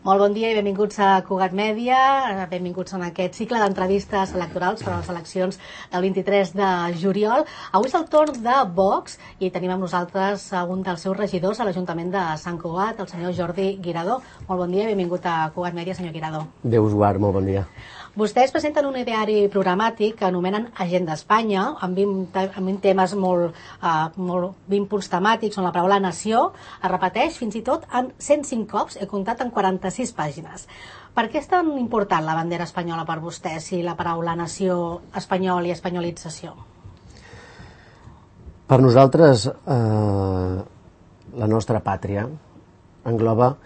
Molt bon dia i benvinguts a Cugat Mèdia, benvinguts en aquest cicle d'entrevistes electorals per a les eleccions del 23 de juliol. Avui és el torn de Vox i tenim amb nosaltres un dels seus regidors a l'Ajuntament de Sant Cugat, el senyor Jordi Guiradó. Molt bon dia i benvingut a Cugat Mèdia, senyor Guiradó. Déu us guard, molt bon dia. Vostès presenten un ideari programàtic que anomenen Agenda Espanya, amb 20 temes molt 20 punts temàtics on la paraula nació es repeteix fins i tot en 105 cops, he comptat en 46 pàgines. Per què és tan important la bandera espanyola per vostès i la paraula nació, espanyol i espanyolització? Per nosaltres, la nostra pàtria engloba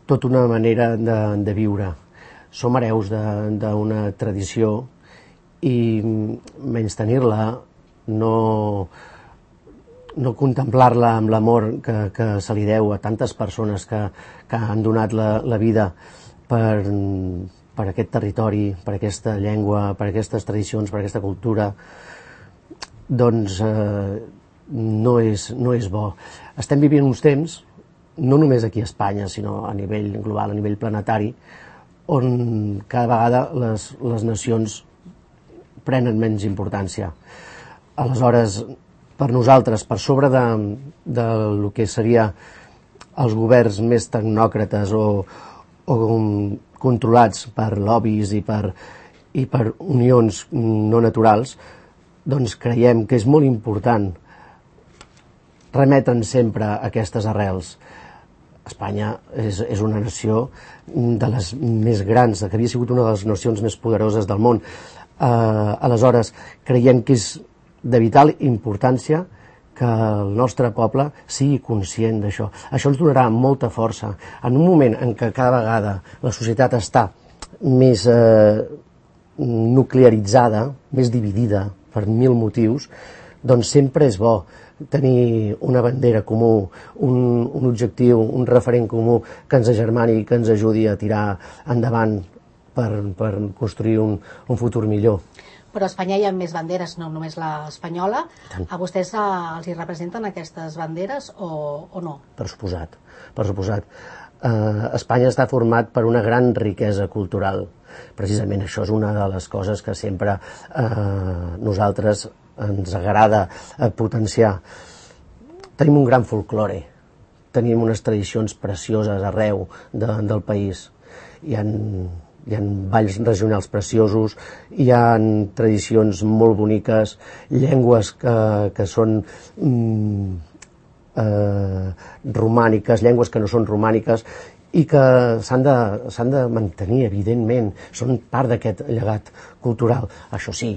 tota una manera de viure. Som hereus d'una tradició i menystenir-la, no contemplar-la amb l'amor que se li deu a tantes persones que han donat la vida per aquest territori, per aquesta llengua, per aquestes tradicions, per aquesta cultura, doncs no és bo. Estem vivint uns temps, no només aquí a Espanya, sinó a nivell global, a nivell planetari, on cada vegada les nacions prenen menys importància. Aleshores, per nosaltres, per sobre de lo que seria els governs més tecnòcrates o controlats per lobbies i per unions no naturals, doncs creiem que és molt important remetre'n sempre a aquestes arrels. Espanya és una nació de les més grans, que havia sigut una de les nacions més poderoses del món. Aleshores, creiem que és de vital importància que el nostre poble sigui conscient d'això. Això ens donarà molta força. En un moment en què cada vegada la societat està més nuclearitzada, més dividida per 1000 motius, doncs sempre és bo tenir una bandera comú, un objectiu, un referent comú que ens agermani i que ens ajudi a tirar endavant per construir un futur millor. Però a Espanya hi ha més banderes, no només l'espanyola. A vostès els hi representen aquestes banderes o no? Per suposat. Espanya està format per una gran riquesa cultural. Precisament això és una de les coses que sempre nosaltres ens agrada potenciar. Tenim un gran folklore, tenim unes tradicions precioses arreu del país. Hi ha balls regionals preciosos, hi ha tradicions molt boniques, llengües que són romàniques, llengües que no són romàniques, i que s'han de mantenir, evidentment, són part d'aquest llegat cultural. Això sí,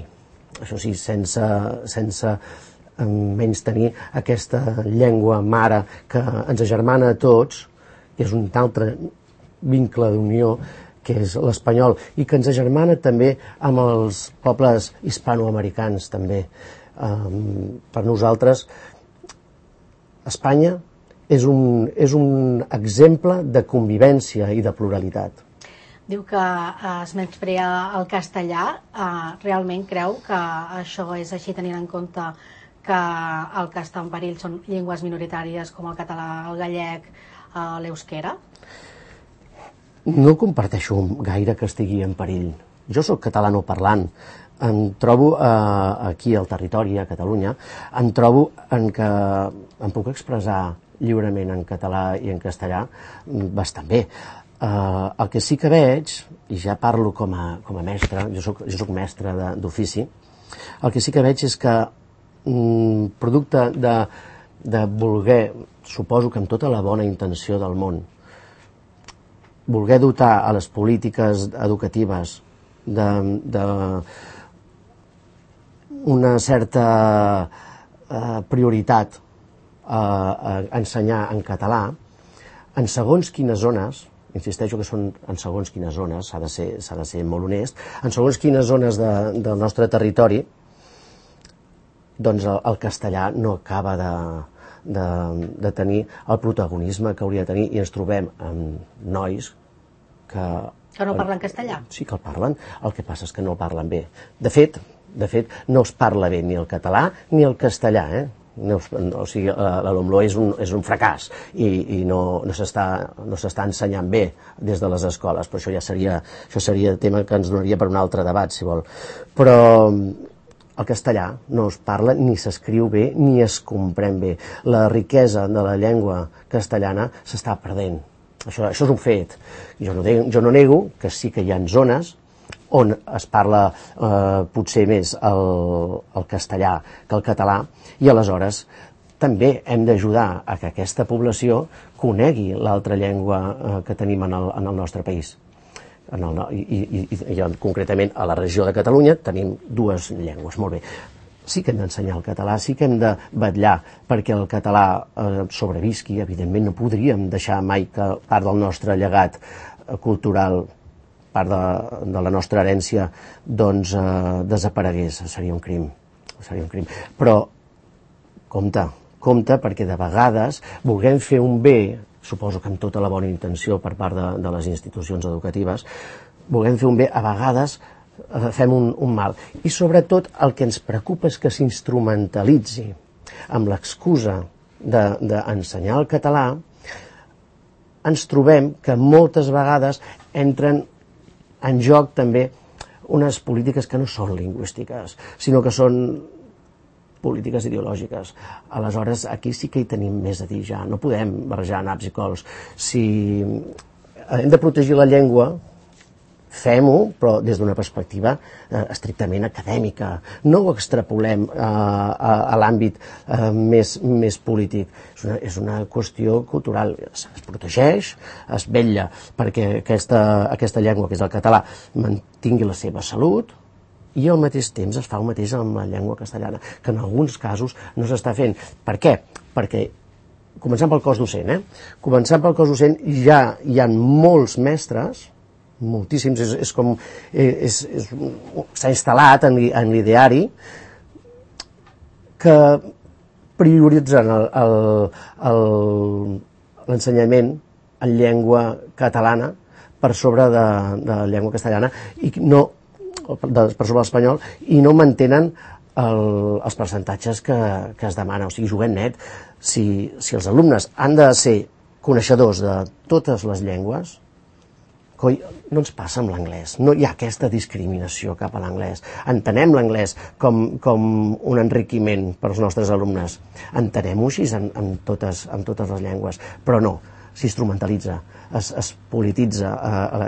sense menys tenir aquesta llengua mare que ens agermana a tots, que és un altre vincle d'unió, que és l'espanyol, i que ens agermana també amb els pobles hispanoamericans també. Per nosaltres, Espanya és un exemple de convivència i de pluralitat. Diu que es menysprea el castellà. Realment creu que això és així, tenint en compte que el que està en perill són llengües minoritàries com el català, el gallec, l'euskera? No comparteixo gaire que estigui en perill. Jo soc catalanoparlant. Em trobo aquí al territori, a Catalunya, em trobo en què em puc expressar lliurement en català i en castellà bastant bé. El que sí que veig, i ja parlo com a mestre, jo soc mestre d'ofici, el que sí que veig és que producte de voler, suposo que amb tota la bona intenció del món, voler dotar a les polítiques educatives d'una certa prioritat a ensenyar en català, en segons quines zones, insisteixo que són en segons quines zones, s'ha de ser molt honest, en segons quines zones del nostre territori, doncs el castellà no acaba de tenir el protagonisme que hauria de tenir, i ens trobem amb nois que no parlen castellà? Sí que el parlen, el que passa és que no el parlen bé. De fet, no es parla bé ni el català ni el castellà, O sigui, l'Alumlo és un fracàs i no s'està ensenyant bé des de les escoles, però això seria tema que ens donaria per un altre debat, si vol. Però el castellà no es parla ni s'escriu bé ni es comprèn bé. La riquesa de la llengua castellana s'està perdent. Això és un fet. Jo no nego que sí que hi ha zones on es parla potser més el castellà que el català, i aleshores també hem d'ajudar a que aquesta població conegui l'altra llengua que tenim en el nostre país. I concretament a la regió de Catalunya tenim dues llengües, molt bé. Sí que hem d'ensenyar el català, sí que hem de vetllar perquè el català sobrevisqui. Evidentment no podríem deixar mai que part del nostre llegat cultural, part de la nostra herència, doncs desaparegués. Seria un crim. Però compte, perquè de vegades volem fer un bé, suposo que amb tota la bona intenció per part de les institucions educatives, volem fer un bé, a vegades fem un mal. I sobretot el que ens preocupa és que s'instrumentalitzi amb l'excusa d'ensenyar el català. Ens trobem que moltes vegades entren en joc també unes polítiques que no són lingüístiques, sinó que són polítiques ideològiques. Aleshores, aquí sí que hi tenim més a dir ja. No podem barrejar naps i cols. Si hem de protegir la llengua, fem-ho, però des d'una perspectiva estrictament acadèmica. No ho extrapolem a l'àmbit més polític. És una qüestió cultural. Es protegeix, es vetlla perquè aquesta llengua, que és el català, mantingui la seva salut, i al mateix temps es fa el mateix amb la llengua castellana, que en alguns casos no s'està fent. Per què? Perquè, començant pel cos docent, ja hi ha molts mestres, moltíssims, s'ha instal·lat en l'ideari, que prioritzen l'ensenyament en llengua catalana per sobre de la llengua castellana, i no per sobre l'espanyol, i no mantenen els percentatges que es demana. O sigui, juguem net. Si els alumnes han de ser coneixedors de totes les llengües, coi, no ens passa amb l'anglès. No hi ha aquesta discriminació cap a l'anglès. Entenem l'anglès com un enriquiment per als nostres alumnes. Entenem-ho així en totes les llengües, però no, s'instrumentalitza, es polititza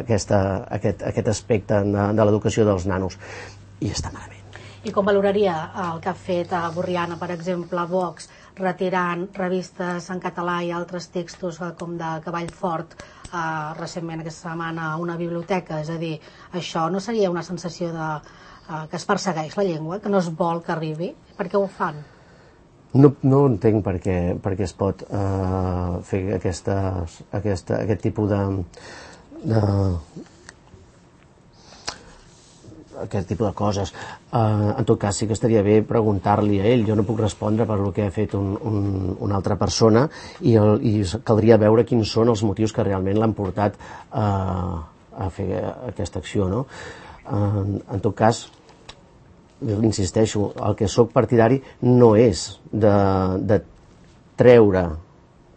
aquest aspecte de l'educació dels nanos, i està malament. I com valoraria el que ha fet a Borriana, per exemple, Vox, retirant revistes en català i altres textos com de Cavall Fort, recentment aquesta setmana a una biblioteca? És a dir, això no seria una sensació que es persegueix la llengua, que no es vol que arribi? Per què ho fan? No entenc per què es pot fer aquest tipus de coses. En tot cas, sí que estaria bé preguntar-li a ell. Jo no puc respondre per el que ha fet una altra persona, i caldria veure quins són els motius que realment l'han portat a fer aquesta acció, no? En tot cas, insisteixo, el que sóc partidari no és de treure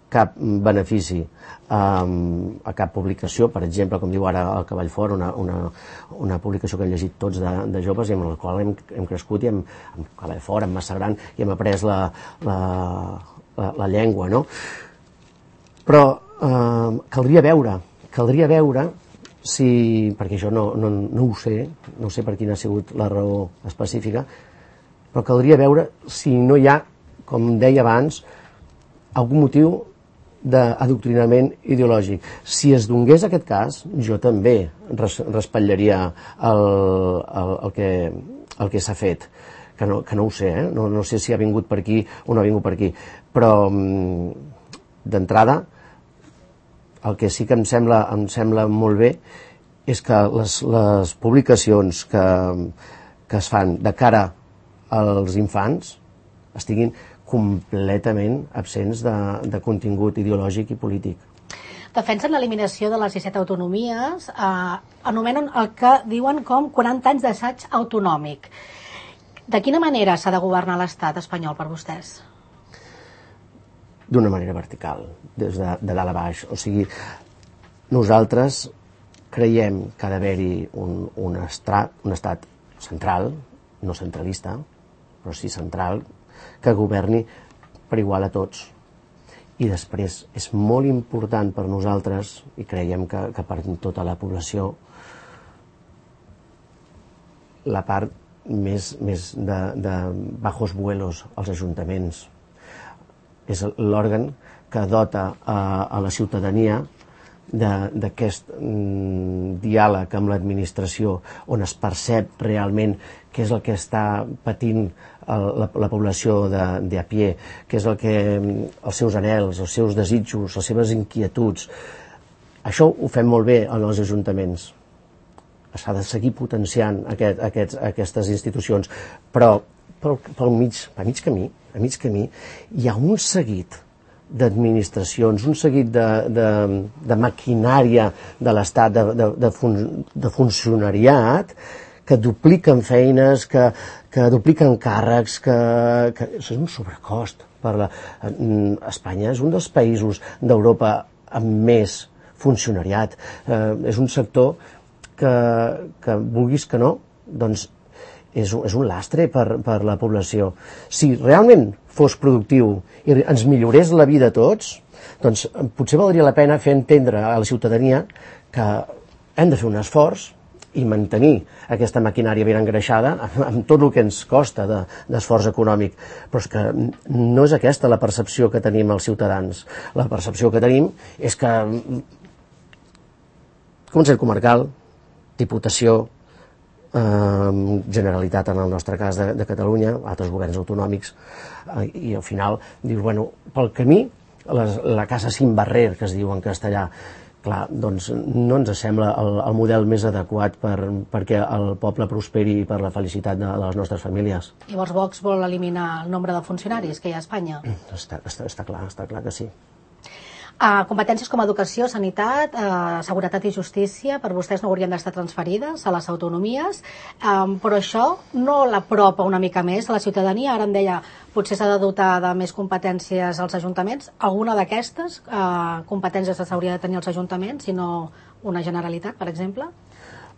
cap benefici a cap publicació, per exemple, com diu ara el Cavall Fort, una publicació que hem llegit tots de joves i amb la qual hem crescut, i amb Cavall Fort, amb Massa Gran, i hem après la llengua, no? Però caldria veure si, perquè jo no ho sé per quina ha sigut la raó específica, però caldria veure si no hi ha, com deia abans, algun motiu d'adoctrinament ideològic. Si es donés aquest cas, jo també respatllaria el que s'ha fet, que no ho sé, no sé si ha vingut per aquí o no ha vingut per aquí, però d'entrada el que sí que em sembla molt bé és que les publicacions que es fan de cara als infants estiguin completament absents de contingut ideològic i polític. Defensen l'eliminació de les 17 autonomies, anomenen el que diuen com 40 anys d'assaig autonòmic. De quina manera s'ha de governar l'estat espanyol per vostès? d'una manera vertical, des de dalt a baix. O sigui, nosaltres creiem que ha d'haver-hi un estat central, no centralista, però sí central, que governi per igual a tots. I després és molt important per nosaltres, i creiem que per tota la població, la part més de bajos vuelos als ajuntaments. És l'òrgan que dota a la ciutadania d'aquest diàleg amb l'administració, on es percep realment què és el que està patint la població de a pie, què és els seus anhels, els seus desitjos, les seves inquietuds. Això ho fem molt bé en els ajuntaments. S'ha de seguir potenciant aquestes institucions, però a mig camí hi ha un seguit d'administracions, un seguit de maquinària de l'Estat, de funcionariat, que dupliquen feines, que dupliquen càrrecs, que és un sobrecost. Espanya és un dels països d'Europa amb més funcionariat. És un sector que vulguis que no, doncs és un lastre per la població. Si realment fos productiu i ens millorés la vida a tots, doncs potser valdria la pena fer entendre a la ciutadania que hem de fer un esforç i mantenir aquesta maquinària ben engreixada amb tot el que ens costa d'esforç econòmic. Però és que no és aquesta la percepció que tenim els ciutadans. La percepció que tenim és que Consell Comarcal, Diputació, Generalitat en el nostre cas de Catalunya, altres governs autonòmics, i al final dius, bueno, pel camí la casa sin barrer, que es diu en castellà, clar, doncs no ens sembla el model més adequat perquè el poble prosperi per la felicitat de les nostres famílies. Llavors Vox vol eliminar el nombre de funcionaris que hi ha a Espanya? Està clar que sí. Competències com educació, sanitat, seguretat i justícia, per vostès no haurien d'estar transferides a les autonomies, però això no l'apropa una mica més a la ciutadania. Ara em deia, potser s'ha de dotar de més competències als ajuntaments. Alguna d'aquestes competències s'hauria de tenir als ajuntaments i no una Generalitat, per exemple?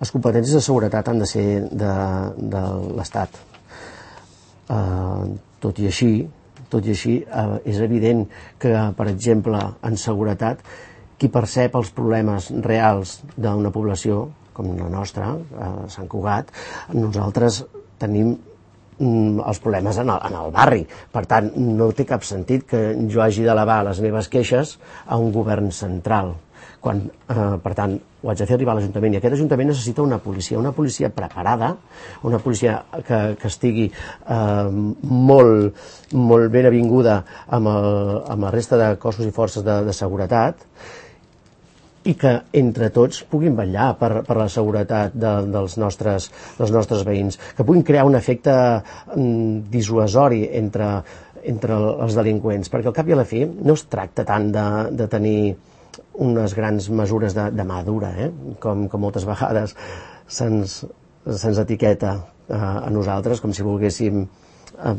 Les competències de seguretat han de ser de l'Estat. Tot i així, és evident que, per exemple, en seguretat, qui percep els problemes reals d'una població, com la nostra, a Sant Cugat, nosaltres tenim els problemes en el barri. Per tant, no té cap sentit que jo hagi d'elevar les meves queixes a un govern central. Per tant, ho haig de fer arribar a l'Ajuntament, i aquest Ajuntament necessita una policia preparada, una policia que estigui molt ben avinguda amb la resta de cossos i forces de seguretat, i que entre tots puguin vetllar per la seguretat dels nostres veïns, que puguin crear un efecte dissuasori entre els delinqüents, perquè al cap i a la fi no es tracta tant de tenir unes grans mesures de mà dura, com moltes vegades se'ns etiqueta a nosaltres, com si volguéssim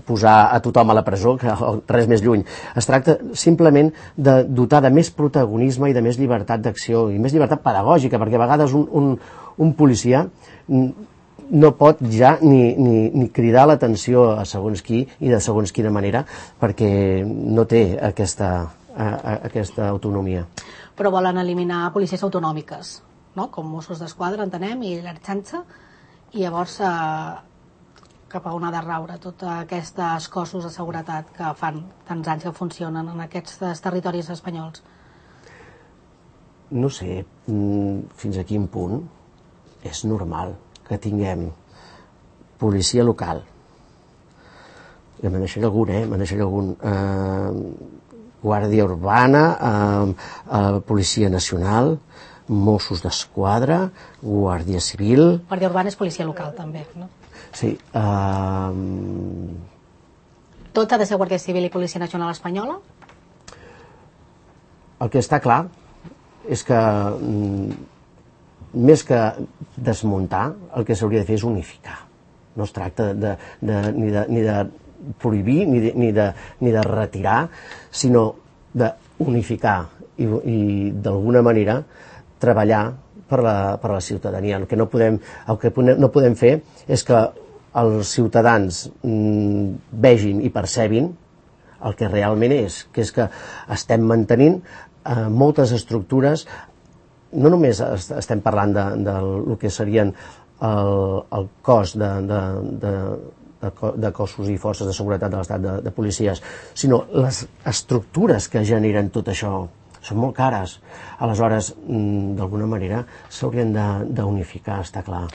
posar a tothom a la presó, que res més lluny. Es tracta simplement de dotar de més protagonisme i de més llibertat d'acció i més llibertat pedagògica, perquè a vegades un policia no pot ja ni cridar l'atenció a segons qui i de segons quina manera, perquè no té aquesta autonomia. Però volen eliminar policies autonòmiques, no? Com Mossos d'Esquadra, entenem, i l'Ertzaintza, i llavors cap a on ha de raure tots aquests cossos de seguretat que fan tants anys que funcionen en aquests territoris espanyols? No sé fins a quin punt és normal que tinguem policia local, i me'n deixaré algun, Guàrdia Urbana, Policia Nacional, Mossos d'Esquadra, Guàrdia Civil... Guàrdia Urbana és policia local, també, no? Sí. Tot ha de ser Guàrdia Civil i Policia Nacional espanyola? El que està clar és que, més que desmuntar, el que s'hauria de fer és unificar. No es tracta ni de prohibir ni de retirar, sinó d'unificar i d'alguna manera treballar per la ciutadania. El que no podem fer és que els ciutadans vegin i percebin el que realment és, que és que estem mantenint moltes estructures. No només estem parlant del que serien el cos de cossos i forces de seguretat de l'Estat, de policies, sinó les estructures que generen tot això són molt cares. Aleshores, d'alguna manera, s'haurien d'unificar, està clar.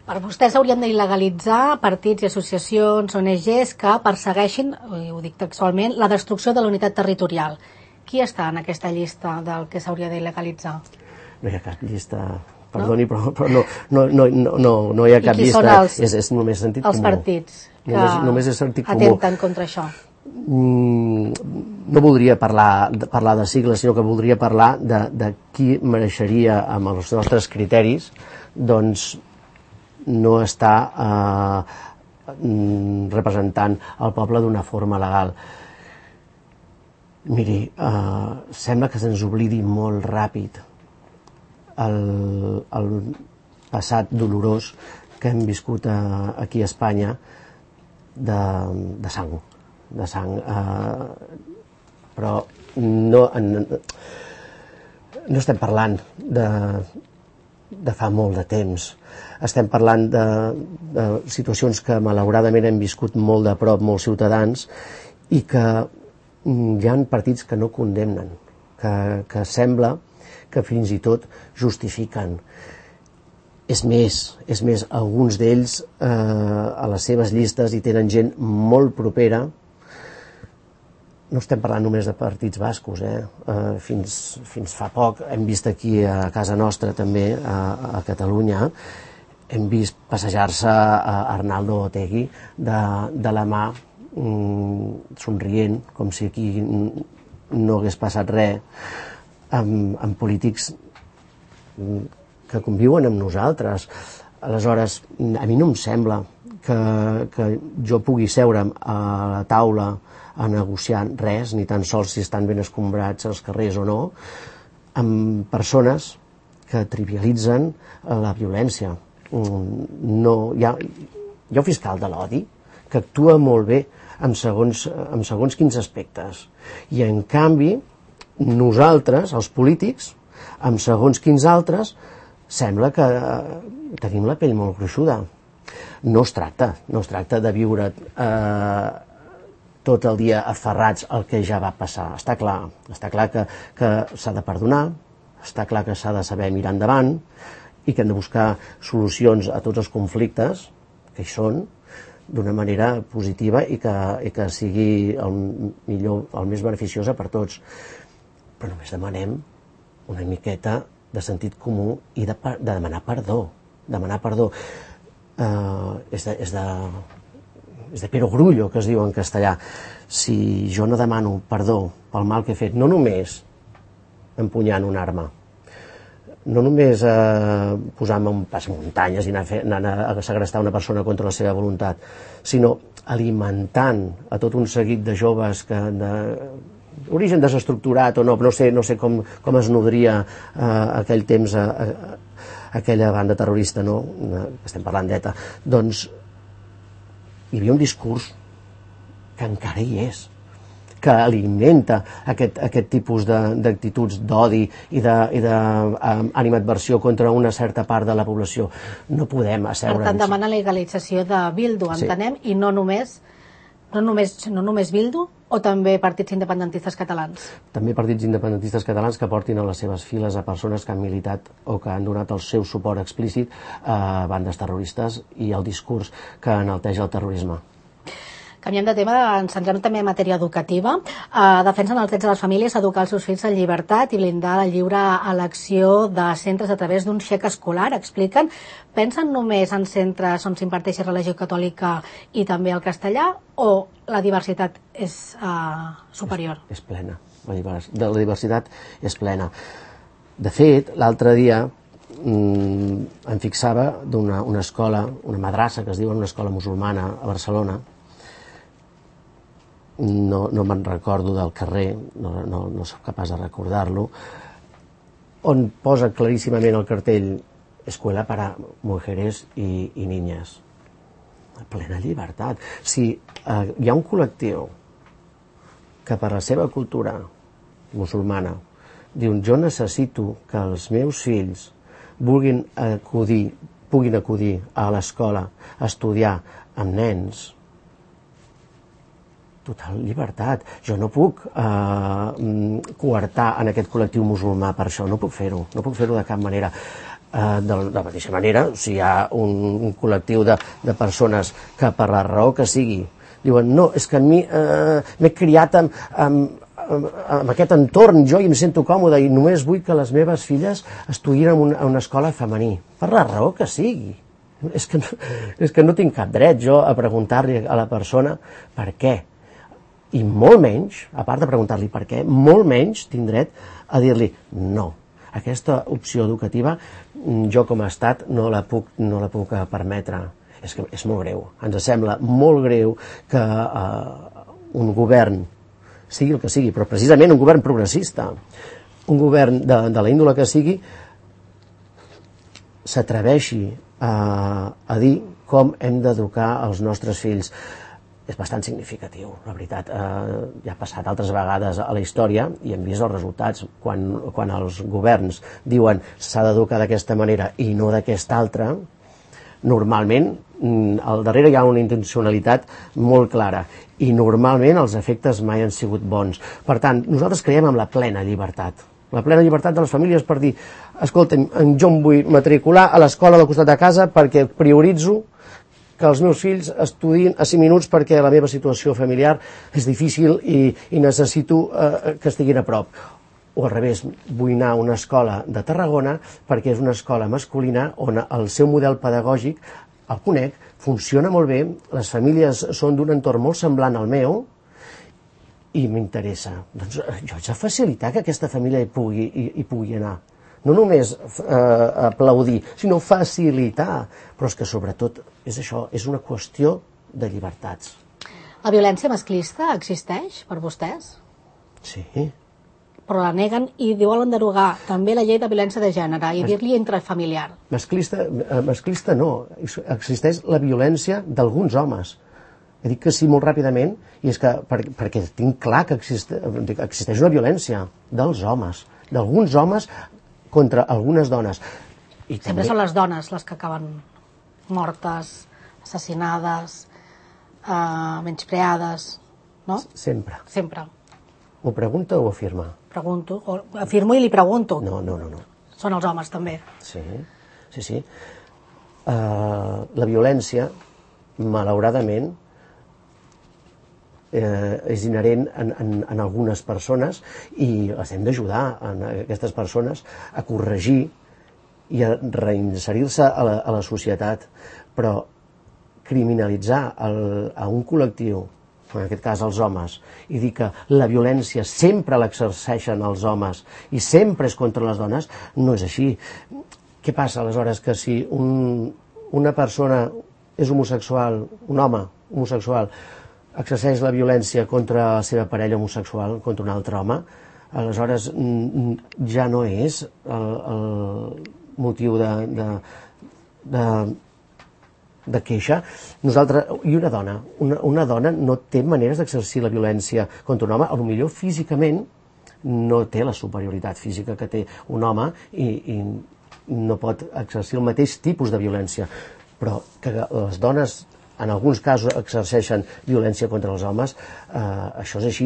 Per vostès s'haurien d'il·legalitzar partits i associacions, ONGs, que persegueixin, ho dic textualment, la destrucció de la unitat territorial. Qui està en aquesta llista del que s'hauria d'il·legalitzar? No hi ha cap llista, perdoni, però no hi ha cap llista. I qui és només sentit comú. Els partits que atempten contra això? No voldria parlar de sigles, sinó que voldria parlar de qui mereixeria, amb els nostres criteris, doncs no està representant el poble d'una forma legal. Miri, sembla que se'ns oblidi molt ràpid el passat dolorós que hem viscut aquí a Espanya de sang. Però no estem parlant de fa molt de temps. Estem parlant de situacions que malauradament hem viscut molt de prop, molts ciutadans, i que hi ha partits que no condemnen, que sembla que fins i tot justifiquen. És més, alguns d'ells a les seves llistes hi tenen gent molt propera. No estem parlant només de partits bascos, fins fa poc hem vist aquí a casa nostra també, a Catalunya, hem vist passejar-se a Arnaldo Otegi de la mà, somrient, com si aquí no hagués passat res, amb polítics que conviuen amb nosaltres. Aleshores, a mi no em sembla que jo pugui seure a la taula a negociar res, ni tan sols si estan ben escombrats els carrers o no, amb persones que trivialitzen la violència. Hi ha un fiscal de l'odi que actua molt bé en segons quins aspectes. I en canvi, nosaltres, els polítics, en segons quins altres, sembla que tenim la pell molt gruixuda. No es tracta de viure tot el dia aferrats al que ja va passar. Està clar que s'ha de perdonar, està clar que s'ha de saber mirar endavant i que hem de buscar solucions a tots els conflictes que hi són d'una manera positiva i que sigui el més beneficiosa per tots. Però només demanem una miqueta de sentit comú i de demanar perdó. Demanar perdó és de perogrullo, que es diu en castellà. Si jo no demano perdó pel mal que he fet, no només empunyant una arma, no només posant-me un pas muntanyes i anant a segrestar una persona contra la seva voluntat, sinó alimentant a tot un seguit de joves que d'origen desestructurat o no sé com es nodria aquell temps aquella banda terrorista, no? Estem parlant d'ETA. Doncs hi havia un discurs que encara hi és, que alimenta aquest tipus d'actituds d'odi i d'animadversió contra una certa part de la població. No podem asseure'ns. Per tant, demana la legalització de Bildu, entenem, i no només Bildu, o també partits independentistes catalans? També partits independentistes catalans que portin a les seves files a persones que han militat o que han donat el seu suport explícit a bandes terroristes i al discurs que enalteja el terrorisme. Canviem de tema, ens centrem també en matèria educativa. Defensen els drets de les famílies a educar els seus fills en llibertat i blindar la lliure elecció de centres a través d'un xec escolar, expliquen. Pensen només en centres on s'imparteixi religió catòlica i també el castellà, o la diversitat és superior? És plena. La diversitat és plena. De fet, l'altre dia em fixava d'una escola, una madrassa que es diu una escola musulmana a Barcelona, no me'n recordo del carrer, no soc capaç de recordar-lo, on posa claríssimament el cartell Escuela para mujeres y niñas. Plena llibertat. Si hi ha un col·lectiu que per la seva cultura musulmana diu jo necessito que els meus fills puguin acudir a l'escola a estudiar amb nens, total llibertat. Jo no puc coartar en aquest col·lectiu musulmà per això, no puc fer-ho de cap manera. De la mateixa manera, si hi ha un col·lectiu de persones que per la raó que sigui diuen no, és que a mi m'he criat amb aquest entorn, jo i em sento còmode i només vull que les meves filles estudiïn en una escola femení, per la raó que sigui. És que no tinc cap dret jo a preguntar-li a la persona per què. I molt menys, a part de preguntar-li per què, molt menys tinc dret a dir-li no. Aquesta opció educativa jo com a estat no la puc permetre. És que és molt greu. Ens sembla molt greu que un govern, sigui el que sigui, però precisament un govern progressista, un govern de la índole que sigui, s'atreveixi a dir com hem d'educar els nostres fills. És bastant significatiu, la veritat. Ja ha passat altres vegades a la història i hem vist els resultats. Quan els governs diuen s'ha d'educar d'aquesta manera i no d'aquesta altra, normalment al darrere hi ha una intencionalitat molt clara i normalment els efectes mai han sigut bons. Per tant, nosaltres creiem en la plena llibertat. La plena llibertat de les famílies per dir escolta'm, jo em vull matricular a l'escola del costat de casa perquè prioritzo que els meus fills estudiïn a 5 minuts perquè la meva situació familiar és difícil i necessito que estiguin a prop. O al revés, vull anar a una escola de Tarragona perquè és una escola masculina on el seu model pedagògic, el conec, funciona molt bé, les famílies són d'un entorn molt semblant al meu i m'interessa. Doncs jo haig de facilitar que aquesta família hi pugui anar. No només aplaudir, sinó facilitar. Però és que sobretot és això, és una qüestió de llibertats. La violència masclista existeix per vostès? Sí. Però la neguen i volen derogar també la llei de violència de gènere i dir-li intrafamiliar. Masclista no. Existeix la violència d'alguns homes. He dit que sí molt ràpidament i és que perquè tinc clar que existeix una violència dels homes, d'alguns homes contra algunes dones. Sempre són les dones les que acaben mortes, assassinades, menyspreades, no? Sempre. Sempre. Ho pregunta o afirma? Pregunto, afirmo i li pregunto. No. Són els homes també. Sí. La violència, malauradament, és inherent en algunes persones i les hem d'ajudar a aquestes persones a corregir i a reinserir-se a la societat, però criminalitzar a un col·lectiu, en aquest cas els homes, i dir que la violència sempre l'exerceixen els homes i sempre és contra les dones, no és així. Què passa aleshores que si una persona és homosexual, un home homosexual, exerceix la violència contra la seva parella homosexual, contra un altre home, aleshores ja no és el motiu de queixa. I una dona no té maneres d'exercir la violència contra un home, potser físicament no té la superioritat física que té un home i no pot exercir el mateix tipus de violència, però que les dones en alguns casos exerceixen violència contra els homes, això és així.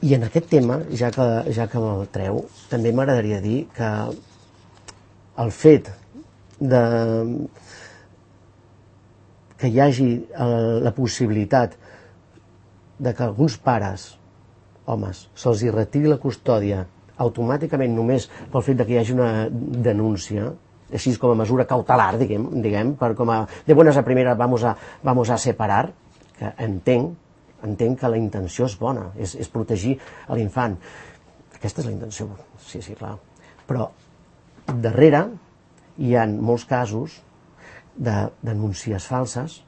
I en aquest tema, ja que me'l treu, també m'agradaria dir que el fet que hi hagi la possibilitat de que alguns pares, homes, se'ls retiri la custòdia automàticament només pel fet que hi hagi una denúncia, així com a mesura cautelar, diguem, de buenas a primeras vamos a separar, que entenc que la intenció és bona, és protegir l'infant. Aquesta és la intenció, sí, clar. Però darrere hi ha molts casos de denúncies falses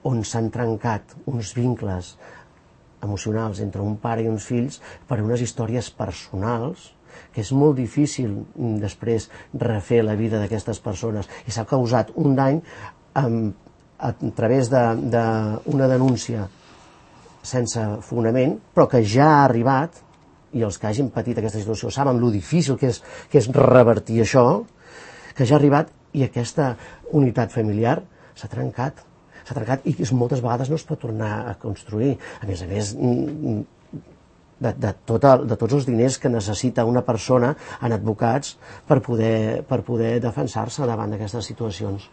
on s'han trencat uns vincles emocionals entre un pare i uns fills per unes històries personals que és molt difícil després refer la vida d'aquestes persones i s'ha causat un dany a través d'una denúncia sense fonament, però que ja ha arribat, i els que hagin patit aquesta situació saben lo difícil que és revertir això, que ja ha arribat i aquesta unitat familiar s'ha trencat i moltes vegades no es pot tornar a construir. A més, de tots els diners que necessita una persona en advocats per poder defensar-se davant d'aquestes situacions.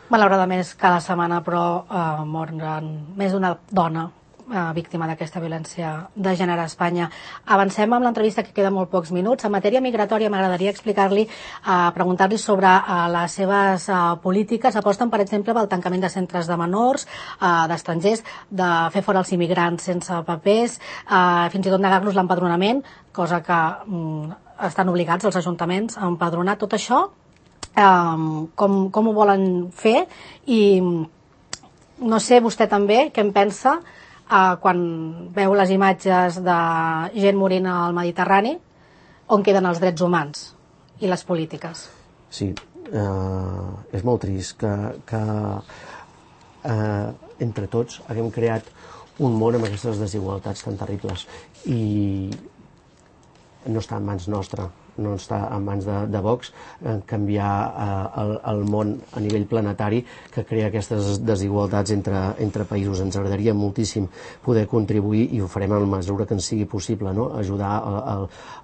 Malauradament, cada setmana, però, moren més d'una dona víctima d'aquesta violència de gènere a Espanya. Avancem amb l'entrevista, que queda molt pocs minuts. En matèria migratòria m'agradaria preguntar-li sobre les seves polítiques. Aposten, per exemple, pel tancament de centres de menors, d'estrangers, de fer fora els immigrants sense papers, fins i tot negar-los l'empadronament, cosa que estan obligats els ajuntaments a empadronar. Tot això, com ho volen fer? I no sé, vostè també, què en pensa quan veu les imatges de gent morint al Mediterrani, on queden els drets humans i les polítiques? Sí, és molt trist que entre tots haguem creat un món amb aquestes desigualtats tan terribles i no està en mans nostra, no està en mans de Vox canviar el món a nivell planetari que crea aquestes desigualtats entre països. Ens agradaria moltíssim poder contribuir i ho farem en la mesura que ens sigui possible, no? Ajudar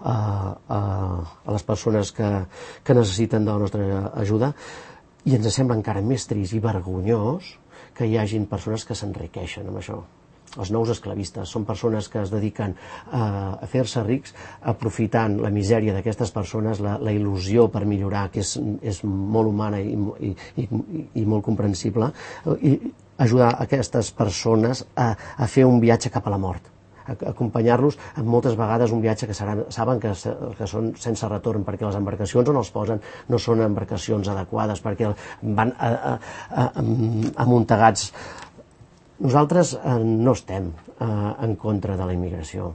a les persones que necessiten de la nostra ajuda, i ens sembla encara més trist i vergonyós que hi hagin persones que s'enriqueixen amb això. Els nous esclavistes són persones que es dediquen a fer-se rics aprofitant la misèria d'aquestes persones, la il·lusió per millorar, que és molt humana i molt comprensible, i ajudar aquestes persones a fer un viatge cap a la mort, acompanyar-los en moltes vegades un viatge que saben que són sense retorn, perquè les embarcacions on els posen no són embarcacions adequades, perquè van amuntegats. Nosaltres no estem en contra de la immigració.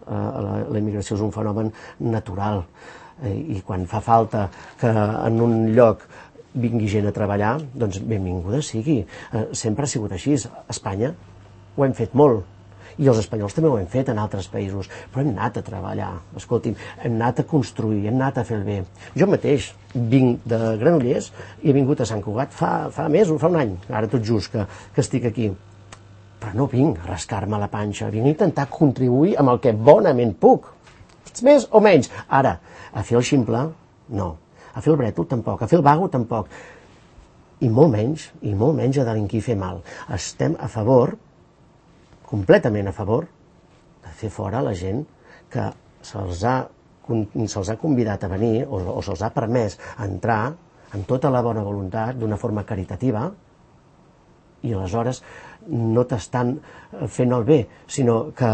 La immigració és un fenomen natural i quan fa falta que en un lloc vingui gent a treballar, doncs benvinguda sigui. Sempre ha sigut així. A Espanya ho hem fet molt i els espanyols també ho hem fet en altres països, però hem anat a treballar, escolti'm, hem anat a construir, hem anat a fer el bé. Jo mateix vinc de Granollers i he vingut a Sant Cugat fa mesos, fa un any, ara tot just que estic aquí. Però no vinc a rascar-me la panxa, vinc a intentar contribuir amb el que bonament puc, més o menys. Ara, a fer el ximple, no. A fer el brètol, tampoc. A fer el vago, tampoc. I molt menys a delinquir i fer mal. Estem a favor, completament a favor, de fer fora la gent que se'ls ha convidat a venir o se'ls ha permès entrar amb tota la bona voluntat, d'una forma caritativa, i aleshores no t'estan fent el bé, sinó que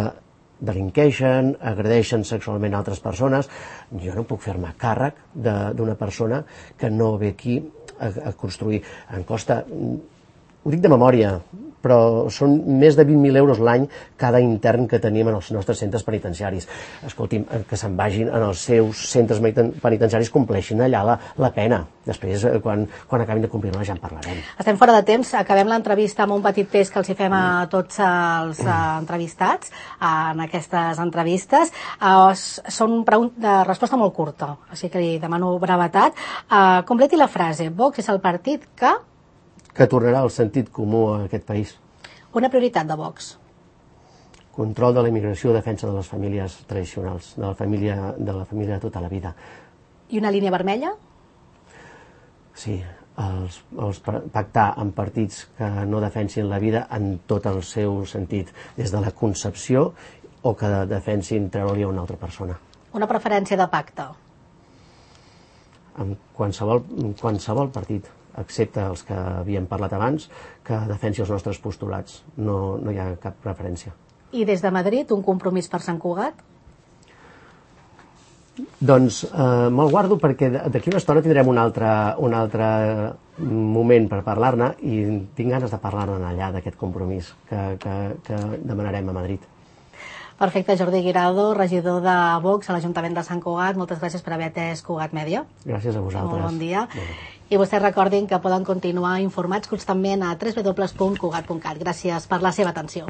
delinqueixen, agredeixen sexualment altres persones. Jo no puc fer-me càrrec d'una persona que no ve aquí a construir. Em costa, ho dic de memòria, però són més de 20.000 euros l'any cada intern que tenim en els nostres centres penitenciaris. Escolti'm, que se'n vagin en els seus centres penitenciaris, compleixin allà la pena. Després, quan acabin de complir-la, ja en parlarem. Estem fora de temps. Acabem l'entrevista amb un petit test que els hi fem a tots els entrevistats en aquestes entrevistes. Són de resposta molt curta, així que li demano brevetat. Completi la frase. Vox és el partit que tornarà el sentit comú a aquest país. Una prioritat de Vox. Control de la immigració, defensa de les famílies tradicionals, de la família de tota la vida. I una línia vermella? Sí, pactar amb partits que no defensin la vida en tot el seu sentit, des de la concepció o que defensin treure-li a una altra persona. Una preferència de pacte? En qualsevol partit, excepte els que havíem parlat abans, que defensi els nostres postulats. No hi ha cap preferència. I des de Madrid, un compromís per Sant Cugat? Doncs me'l guardo perquè d'aquí una estona tindrem una altra moment per parlar-ne i tinc ganes de parlar-ne allà d'aquest compromís que demanarem a Madrid. Perfecte, Jordi Guirado, regidor de Vox a l'Ajuntament de Sant Cugat. Moltes gràcies per haver atès Cugat Mèdia. Gràcies a vosaltres. Molt bon dia. I vostès recordin que poden continuar informats constantment a www.cugat.cat. Gràcies per la seva atenció.